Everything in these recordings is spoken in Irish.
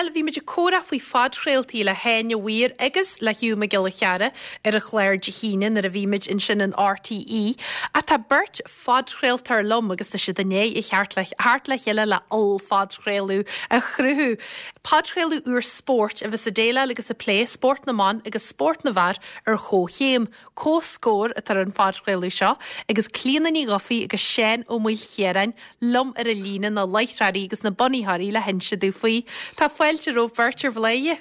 Bhuel, bhí muid ag comhrá faoi phodchraoltaí le hÁine Weir agus le Hugh Mac Giolla Chearra ar an chlár Dé hAoine nuair a bhí muid ansin in RTÉ. Ach tá beirt phodchraoltóir liom agus tá siad i ndiaidh a theacht le theacht le chéile le ollphodchraoladh a chruthú. Podchraoladh úr spóirt a bheas ag déileáil agus ag plé spórt na mban agus spórt na bhfear ar chomhchéim. Comhscór atá ar an phodchraoladh seo agus Clíona Ní Dhufaigh agus Seán Ó Maoilchiaráin liom ar an líne, na láithreoirí agus na bunaitheoirí le hinse domh faoi. Tá fáilte romhaibh beirt ar Bhladhaire.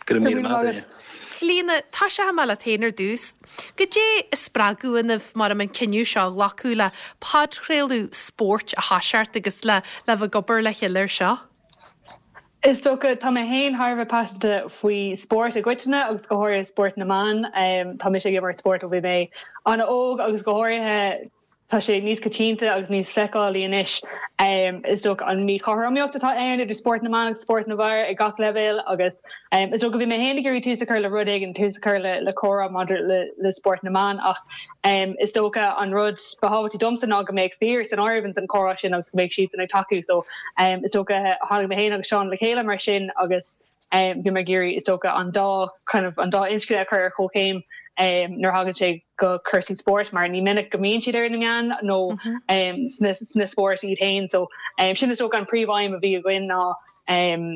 Go raibh míle maith agat. Clíona, tosóidh mé leat féin ar dtús. Goidé a spreag ionaibh mar an cinneadh seo a ghlacadh le podchraoladh spóirt a thoiseacht agus le le bheith ag obair le chéile air seo? Is dócha, tá mé féin thar a bheith paiseanta faoi spórt i gcoitinne agus go háirithe spórt na mban. Tá mise ag imirt spóirt ó bhí mé an-óg agus go háirithe tá sé níos coitianta agus níos feiceálaí anois is dócha an míchothromaíocht atá ann idir spórt na mban agus spórt na bhfear ag gach leibhéal agus is dócha bhí mé féin ag iarraidh tús a chur le rud éigin, tús a chur le comhrá maidir le spórt na mban ach Is dócha an rud ba thábhachtaí domsa ná go mbeadh fir san áireamh ins an chomhrá sin agus go mbeadh siadsan ag tacú so is dócha tháinig mé féin agus Seán le chéile mar sin agus bhí mé ag iarraidh is dócha an dá kind of an dá inscne a chur ar chomhchéim nuair a thagann sé go cúrsaí spóirt mar ní minic go mbíonn siad ar na meáin nó sna sna spóirt iad féin so sin is dócha an príomhaidhm a bhí againn ná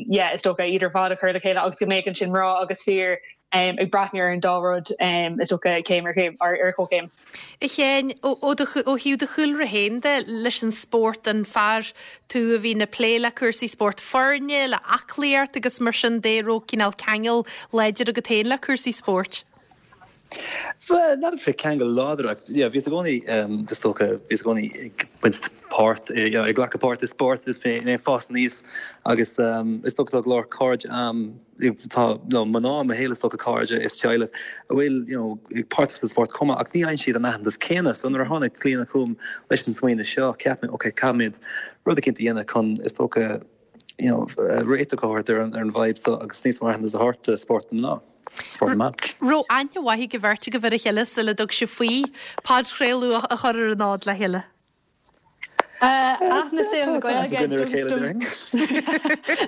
yeah is dócha iad ar fad a chur le chéile agus go mbeadh ansin mná agus fir ag breathnú ar an dá rud is dócha céim ar chéim ar chomhchéim. A Sheáin, ó thaobh do chúlra féin de leis an spórt, an fear tú a bhíonn ag plé le cúrsaí spórt foirne, le aclaíocht agus mar sin de, raibh cineál ceangal láidir agat féin le cúrsaí spóirt? Bhuel, n'fheadar fé ceangal láidir ach yeah bhíos i gcónaí is dócha, bhíos i gcónaí ag baint páirt, you know, ag glacadh páirt i spórt is mé ag fás aníos agus is dócha tá go leor cairde a'm, tá you know mná i mo shaol is dócha cairde is teaghlach a bhfuil you know páirteach sa spórt chomh maith ach ní fhaigheann siad an aitheantas céanna so nuair a tháinig Clíona chugam leis an smaoineamh seo cheap mé ok caithfimid rud eicínt a dhéanamh chun is dócha you know réiteach a thabhairt ar an ar an bhfadhb seo agus níos mó aitheantas a thabhairt do spórt na mná, spórt na mban. Raibh aithne mhaith ag an bheirt agaibh ar a chéile sula dtug sibh faoi podchraoladh a chur ar an fhód le chéile? Aithne saol na Gaeilge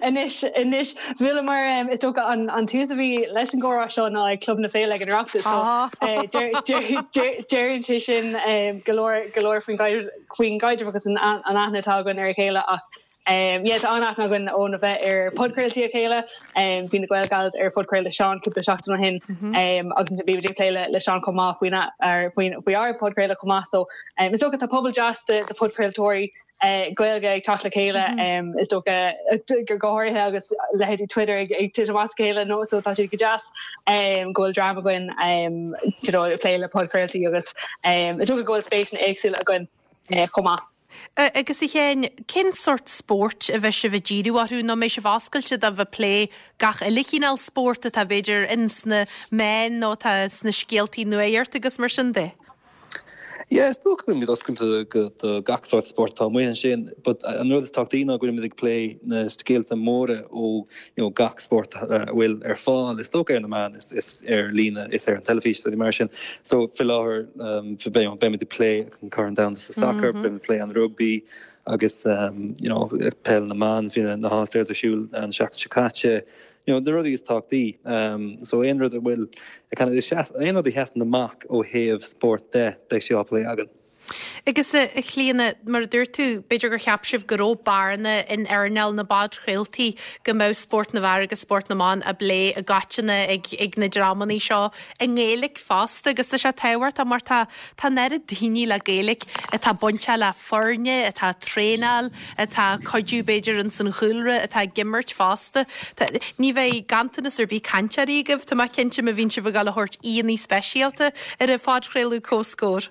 anois anois bhuaileamar is dócha an an tús a bhí leis an gcomhrá seo ná ag Club na Féile ag an Oireachtas so deireann sé sin go leor go leor faoin faoin gcaidreamh agus an aithne atá againn ar a chéile ach Yeah tá an-aithne againn óna bheith ar podchraoltaí a chéile. Bhí na Gael Gals ar phodchraoladh Seán cúpla seachtain ó shin agus ansin bhí muid ag plé le Seán chomh maith faoina faoi ár podchraoladh chomh maith. So is dócha tá pobal deas de podchraoltóirí Gaeilge ag teacht le chéile is dócha go háirithe agus leithéidí Twitter ag titim as a chéile nó so tá sé go deas go bhfuil dream againn you know ag plé le podchraoltaí agus is dócha go bhfuil spéiseanna éagsúla againn chomh maith. Agus a Sheáin, cén sórt spóirt a bheidh sibh ag díriú orthu nó an mbeidh sibh oscailte do bheith ag plé gach uile chineál spórt atá b'fhéidir ins na meáin nó atá sna scéaltaí nuaíocht agus mar sin de? Yeah, is dócha go bhfuilimid oscailte do gach sórt spórt atá amuigh ansin, but an rud is tábhachtaí ná go bhfuilimid ag plé na scéalta móra ó you know gach spórt a bhfuil ar fáil, is dócha ar na meáin is ar líne is ar an teilifís is rudaí mar sin. So faoi láthair beimid ag plé an Corn Domhanda sa sacar, beimid ag plé an rugbaí agus you know peil na mban, bhí na All Stars ar siúl an seachtain seo caite, you know na rudaí is tábhachtaí. So aon rud a bhfuil kind of aon rud a sheasann amach ó thaobh spóirt de, beidh sé á plé againn. Agus a Chlíona, mar a dúirt tú, b'fhéidir gur cheap sibh go raibh bearna in earnáil na bpodchraoltaí, go mbeadh spórt na bhfear agus spórt na mban á bplé i gcoitinne ag ag na dreamanna seo i nGaeilge fosta agus tá sé tábhachtach mar tá Tá an oiread daoine le Gaeilge atá bainteach le foirne, atá ag traenáil, atá ag cuidiú b'fhéidir ins an chúlra, atá ag imirt fosta. Tá, ní bheidh ganntanas ar bith cainteoirí agaibh, tá mé cinnte, má bhíonn sibh ag dul a thabhairt aíonna speisialta ar an phodchraoladh Comhscór.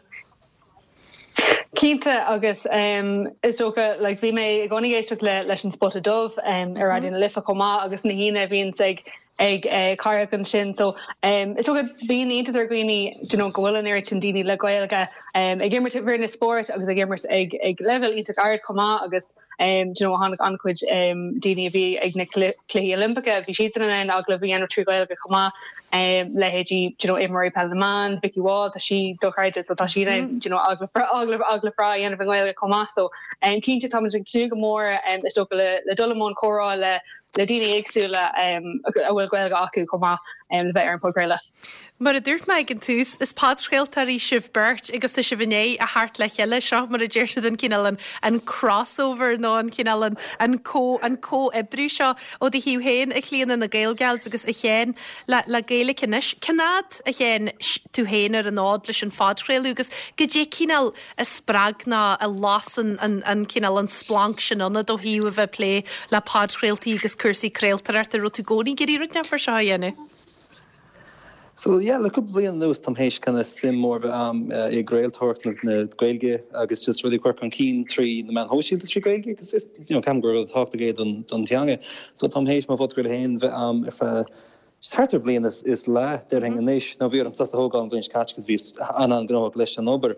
Cinnte agus is dócha like bhí mé i gcónaí ag éisteacht le leis an Spota Dubh ar Raidió na Life chomh maith agus na haíonna a bhíonns ag ag Cárthach ansin. So is dócha bíonn iontas ar dhaoine do you know go bhfuil an oiread sin daoine le Gaeilge ag imirt i bhfoirne spóirt agus ag imirt ag ag leibhéal iontach ard chomh maith agus do you know tháinig an-chuid daoine a bhí ag na Cluichí Oilimpeacha, bhí siadsan in ann agallamh a dhéanamh trí Ghaeilge chomh maith, leithéidí do you know imreoirí peile na mban, Vikki Wall, tá sí dochreidte so tá sí in ann do you know agallamh agallamh agallamh breá a dhéanamh i nGaeilge chomh maith. So cinnte táimid ag tnúth go mór is dócha le le dul i mbun comhrá le. le daoine éagsúla a bhfuil Gaeilge acu chomh maith le bheith ar an podchraoladh. Mar a dúirt mé ag an tús, is podchraoltóirí sibh beirt agus tá sibh i ndiaidh a theacht le chéile. Seo mar a deir siad an cineál an an crossover nó an cineál an an co an comhoibriú seo ó do thaobh féin, a Chlíona, na Gaelgals agus a Sheáin le le Gaeilge Anois. Cén fhad, a Sheáin, tú féin ar an fhód leis an phodchraoladh agus goidé cineál a spreag nó a las an an an cineál an splanc sin ionat ó thaobh a bheith ag plé le podchraoltaí agus cúrsaí craoltóireachta? Raibh tú i gcónaí ag iarraidh rud inteacht mar seo a dhéanamh? So yeah, le cúpla bliain anuas táim théis kind of suim mór a bheith a'm i gcraoltóireacht na Gaeilge agus just rudaí a chur chun cinn trí na meáin shóisialta trí Ghaeilge agus is, you know, ceapaim gur rud tábhachtach é don don teanga. So táim théis mo phodchraoladh féin bheith a'm ar feadh just thart ar bhliain is is leath déarfainn anois. Now bhí orm sos a thógáil an bhliain seo caite cos bhíos an-an-ghnóthach leis an obair.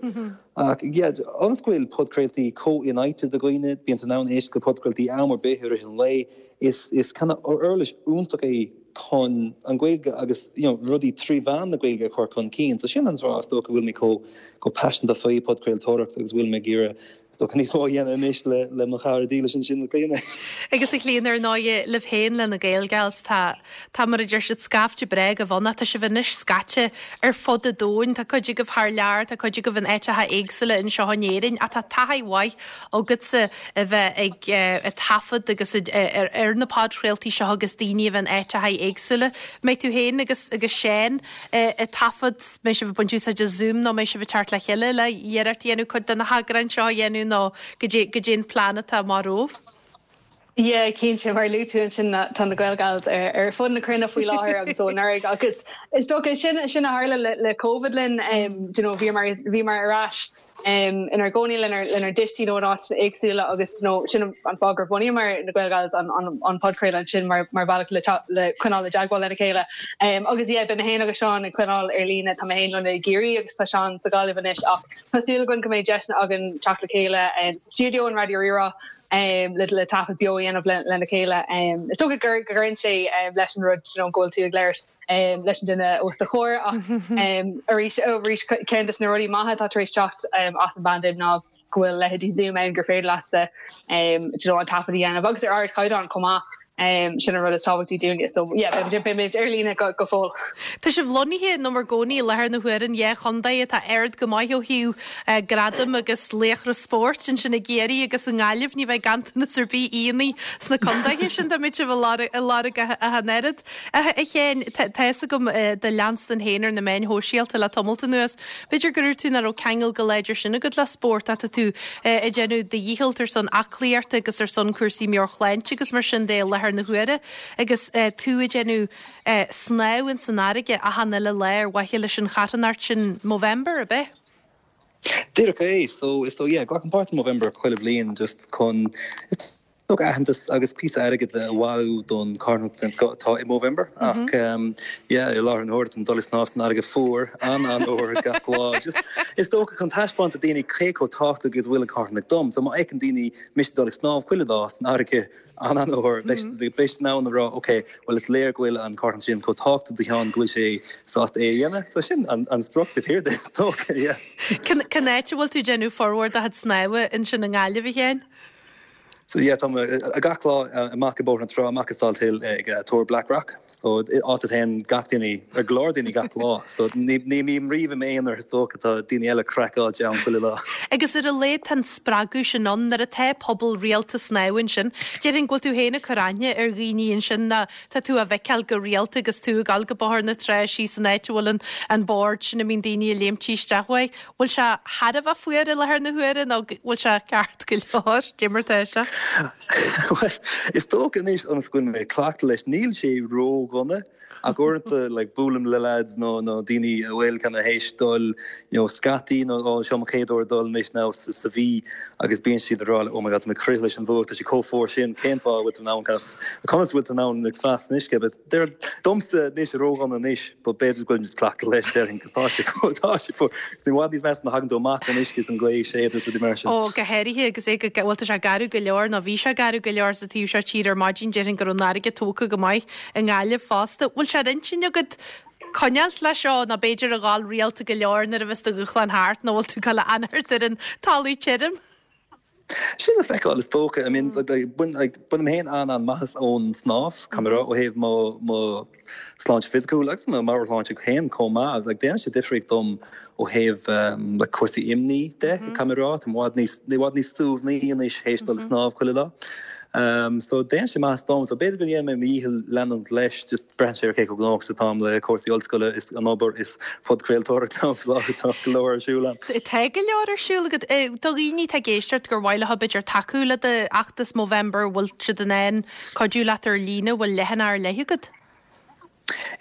Ach yeah, ionas go bhfuil podchraoltaí chomh infhaighte do dhaoine, bíonn tú in ann éisteacht le podchraoltaí am ar bith i rith an lae, is is kind of uirlis iontach é chun an Ghaeilge agus you know rudaí trí mheán na Gaeilge a chur chun cinn. So sin an fáth is dócha go bhfuil mé chomh chomh paiseanta faoi podchraoltóireacht agus bhfuil mé ag iarraidh is dócha níos mó a dhéanamh anois le le mo chara dílis ansin Clíona. Agus a Chlíona ar ndóighe libh féin le na Gaelgals tá tá mar a deir siad scaifte breá agaibh ann ach tá sibh anois scaite ar fud an domhain. Tá cuid agaibh thar lear, tá cuid agaibh in áiteacha éagsúla anseo in Éirinn ach tá taithí mhaith agatsa a bheith ag taifead agus ar na podchraoltaí seo agus daoine a bheith in áiteacha éagsúla. Mbeidh tú féin agus agus Seán ag taifead, mbeidh sibh ag baint úsáid as Zoom nó mbeidh sibh ag teacht le chéile le iarracht a dhéanamh cuid de na heagráin seo a dhéanamh nó goidé goidé an plean atá amach romhaibh? Yeah, cinnte, mar a luaigh tú ansin tá na Gaelgals ar ar fud na cruinne faoi láthair agus ó anuraidh agus is dócha sin sin a tharla le le Covid linn, you know bhíomar bhíomar ar ais inár gcónaí lenár lenár dtuistí nó in áiteanna éagsúla agus you know sin an fáth gur bhunaíomar na Gaelgals an an an podchraoladh ansin mar mar bhealach le le coinneáil i dteagmháil lena chéile. Agus yeah beidh mé féin agus Seán ag coinneáil ar líne, tá mé féin lonnaithe i gCiarraí agus tá Seán sa Ghaillimh anois ach tá súil againn go mbeidh deiseanna againn teacht le chéile sa stiúideo in Raidió Rí-Rá le le taifead beo a dhéanamh lena chéile. Is dócha go gcuireann sé leis an rud you know go bhfuil tú ag labhairt leis an duine os do chomhair ach arís arís ceann de na rudaí maithe atá tar éis teacht as an bpaindéim ná go bhfuil leithéidí Zoom ann gur féidir leatsa you know an taifead a dhéanamh agus ar ardchaighdeán chomh maith. Sin an rud is tábhachtaí dúinne. So yeah beimid ar líne go go fóill. Tá sibh lonnaithe in bhur gcónaí i láthair na huaire in dhá chontae atá ard go maith ó thaobh gradaim agus laochra spóirt, ansin i gCiarraí agus i nGaillimh. Ní bheidh ganntanas ar bith aíonna sna contaetha sin dá mbeadh sibh ag lorg ach an oiread. A Sheáin, tá fhios agam do leanstan féin ar na meáin shóisialta le tamalt anuas. B'fhéidir gur dhúirt tú nach raibh ceangal chomh láidir sin agat le spórt ach tá tú ag déanamh do dhícheall ar son aclaíochta agus ar son cúrsaí meabhairshláinte agus mar sin de i láthair na huaire agus tú ag déanamh snámh ins an fharraige achan uile lá ar mhaithe leis an charthanacht sin Movember, ab ea? Díreach é. So, is dóigh, yeah, glacaim páirt in Movember chuile bhliain just chun, is dócha aitheantas agus píosa airgid a bhailiú don charthanacht den scoth atá i Movember. Ach, yeah, i láthair na huaire táim ag dul ag snámh san fharraige fuar, an-an-fhuar gach lá. Just, is dócha chun taispeáint do daoine cé chomh tábhachtach is a bhfuil an charthanacht dom. So má fheiceann daoine mise ag dul ag snámh chuile lá san fharraige, an-an-fhuar, beidh siad in ann a rá, ok, bhuel is léir go bhfuil an charthanacht sin chomh tábhachtach do Sheán go bhfuil sé sásta é a dhéanamh. So sin an sprioc taobh thiar de, is dócha, yeah. Cén áit a bhfuil tú ag déanamh formhór do chuid snámha ansin i nGaillimh, a Sheáin? So yeah, tá mé gach lá amach i Bóthar na Trá, amach i Salthill ag Túr Blackrock. So áit a dtéann gach duine, ar go leor daoine gach lá. So ní bhím riamh i m'aonar is dócha, tá daoine eile craiceáilte ann chuile lá. Agus ar a laghad tá an spreagadh sin ann nuair atá pobal rialta snámha ansin. Déarfainn go bhfuil tú féin ag cur aithne ar dhaoine ansin ná tá tú á bhfeiceáil go rialta agus tú ag dul go Bóthar na Trá síos an áit a bhfuil an bord sin a mbíonn daoine ag léimtí isteach uaidh. Bhfuil sé thar a bheith fuar i láthair na huaire nó bhfuil sé ceart go leor? Cé mar atá sé? Bhuel, is dócha anois ionas go bhfuil mé cleachta leis, níl sé ródhona ach uaireanta like buailim le lads nó nó daoine a bhfuil kind of théis dul you know scaití nó oh seo mo chéad uair dul anois now sa sa mhí agus bíonn siad ag rá like oh my god tá mé ag crith leis an bhfuacht tá sé chomh fuar sin cén fáth a bhfuil tú in ann kind of conas a bhfuil tú in ann like fanacht san uisce but Deir domsa anois ródhona anois but b'fhéidir go bhfuil muid cleachta leis déarfainn cos tá sé fuar tá sé fuar. Is i bhfad níos measa nuair a thagann tú amach ón uisce is an ghaoth ag séideadh is rudaí mar sin. Ó, go háirithe agus é go, bhuel tá sé garbh go leor nó bhí sé garbh go leor sa taobh seo tíre ar maidin déarfainn go raibh an fharraige tógtha go maith i nGaillimh fosta. Bhfuil sé ar intinn agat coinneáilt leis seo nó b'fhéidir a dhul rialta go leor nuair a bheas do dhúshlán thart nó bhfuil tú ag dul a fhanacht ar an talamh tirim? Sin le feiceáil is dócha. I mean, bainim féin an-an-maitheas ón snámh, caithfidh mé a rá, ó thaobh mo mo sláinte fisiciúil agus mo mheabhairshláinte féin chomh maith. Like, déanann sé difríocht dom ó thaobh like cúrsaí imní de, caithfidh mé a rá. Táim i bhfad níos, i bhfad níos suaimhní anois théis dul ag snámh chuile lá. So déanann sé maitheas dom. So b'fhéidir go ndéanfaidh mé mo dhícheall leanúint leis, just braitheann sé ar cé chomh gnóthach is atáim le cúrsaí ollscoile is an obair is podchraoltóireacht tá go leor ar siúl agam. Tá go leor ar siúl agat. Do dhaoine atá ag éisteacht gur mhaith leo b'fhéidir tacú le d'fheachtas Movember, bhfuil siad in ann cuidiú leat ar líne, bhfuil leathanach ar leith agat?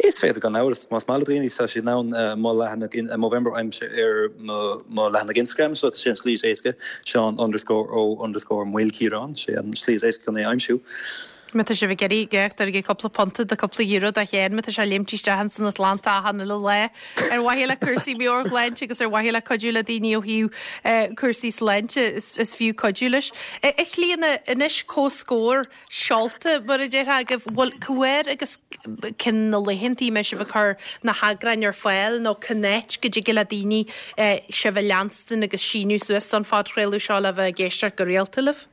Is féidir gan amhras. Más maith le daoine, tá siad in ann mo leathanach Movember a aimsiú ar mo leathanach Instagram, so sé an slí is éasca, Seán underscore Ó underscore Maoilchiaráin, sé an slí is éasca chun é a aimsiú. Má tá sibh ag iarraidh gach duine cúpla punta nó cúpla euro do Sheán má tá sé ag léimt isteach ins an Atlantach achan uile lá ar mhaithe le cúrsaí meabhairshláinte agus ar mhaithe le cuidiú le daoine ó thaobh cúrsaí sláinte is fiú cuidiú leis. A Chlíona, anois comhscór seolta, mar a déarfá, agaibh, bhfuil, cá huair agus cén na laethantaí a mbeidh sibh ag cur na heagráin ar fáil nó cén áit go dtig le daoine sibh a leanstan agus síniú suas don phodchraoladh seo le bheith ag éisteacht go rialta libh?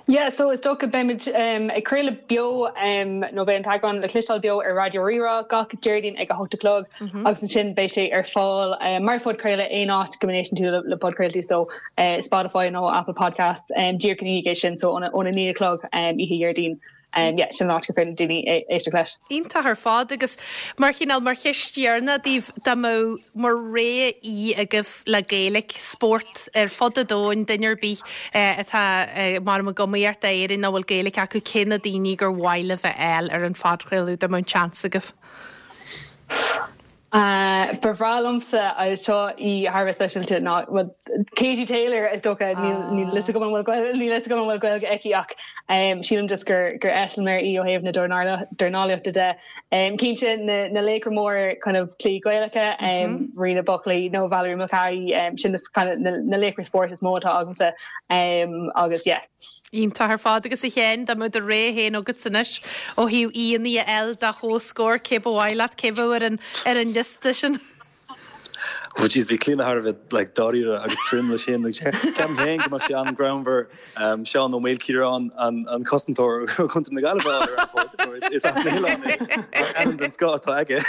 Yeah, so is dócha beimid ag craoladh beo nó beidh an t-eagrán le cloisteáil beo ar Raidió Rí-Rá gach Déardaoin ag a hocht a chlog agus ansin beidh sé ar fáil mar phodchraoladh aon áit go n-éisteann tú le podchraoltaí so Spotify nó Apple Podcasts díreach ina dhiaidh sin so óna 9 a chlog oíche Dhéardaoin. Yeah, sin an áit gur féidir le daoine éisteacht leis. Iontach ar fad agus mar chineál, mar cheist dheireanach daoibh, dá mbeadh mar rogha aoi agaibh le Gaeilge, spórt ar fud an domhain, duine ar bith atá mar ag iomaíocht d'Éirinn nach bhfuil Gaeilge acu, cé na daoine gur mhaith libh a fháil ar an phodchraoladh dá mbeadh an seans agaibh? Ba bhreá liomsa, seo í thar a bheith speisialta, ná, bhuel, Katie Taylor is dócha, níl a fhios agam an bhfuil, níl a fhios agam an bhfuil Gaeilge aici ach sílim just gur gur eiseamláir í ó thaobh na dornálaíochta de. Cinnte na na laochra móra kind of cluichí Gaelacha, Ríona Buckley nó Valerie Mulcahy, sin is kind of na na laochra spóirt is mó atá agamsa agus yeah. Iontach ar fad. Agus a Sheáin, dá mbeadh do rogha féin agat anois ó thaobh aíonna a fháil do Chomhscór, cé ba mhaith leat, cé bheadh ar an ar an liosta sin? Oh jeez, bhí Clíona thar a bheith like dáiríre agus trom leis sin. Ceapaim féin go mbeadh sé an-ghreannmhar Seán Ó Maoilchiaráin, an cosantóir ó Chontae na Gaillimhe a fháil ar an pod, mar is as na hoileáin é ach ainm den scoth atá aige.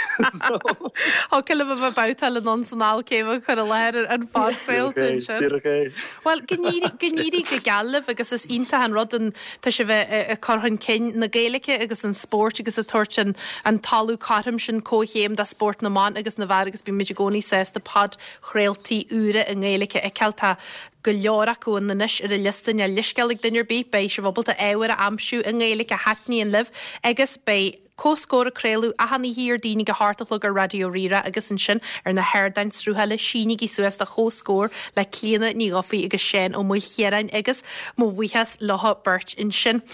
Thiocfadh libh a bheith ag babhtáil anonn is anall cé bheadh ag cur i láthair an phodchraolta ansin. Díreach é. Bhuel, go n-éirí, go n-éirí go geal libh agus is iontach an rud an, tá sibh ag cur chun cinn na Gaeilge agus an spóirt agus ag tabhairt an, an talamh cothrom sin comhchéim do spórt na mban agus na bhfear agus bímid i gcónaí sásta podchraoltaí úra i nGaeilge a fheiceáil. Tá go leor acu ann anois ar an liosta, níl leithscéal ag duine ar bith, beidh sibh ábalta ábhar a aimsiú i nGaeilge a thaitníonn libh agus beidh Comhscór ag craoladh achan oíche Dhéardaoin ag a hocht a chlog ar Raidió Rí-Rá agus ansin ar na hardáin sruthála sínígí suas do Chomhscór le Clíona Ní Dhufaigh agus Seán Ó Maoilchiaráin agus mo bhuíochas leo beirt ansin.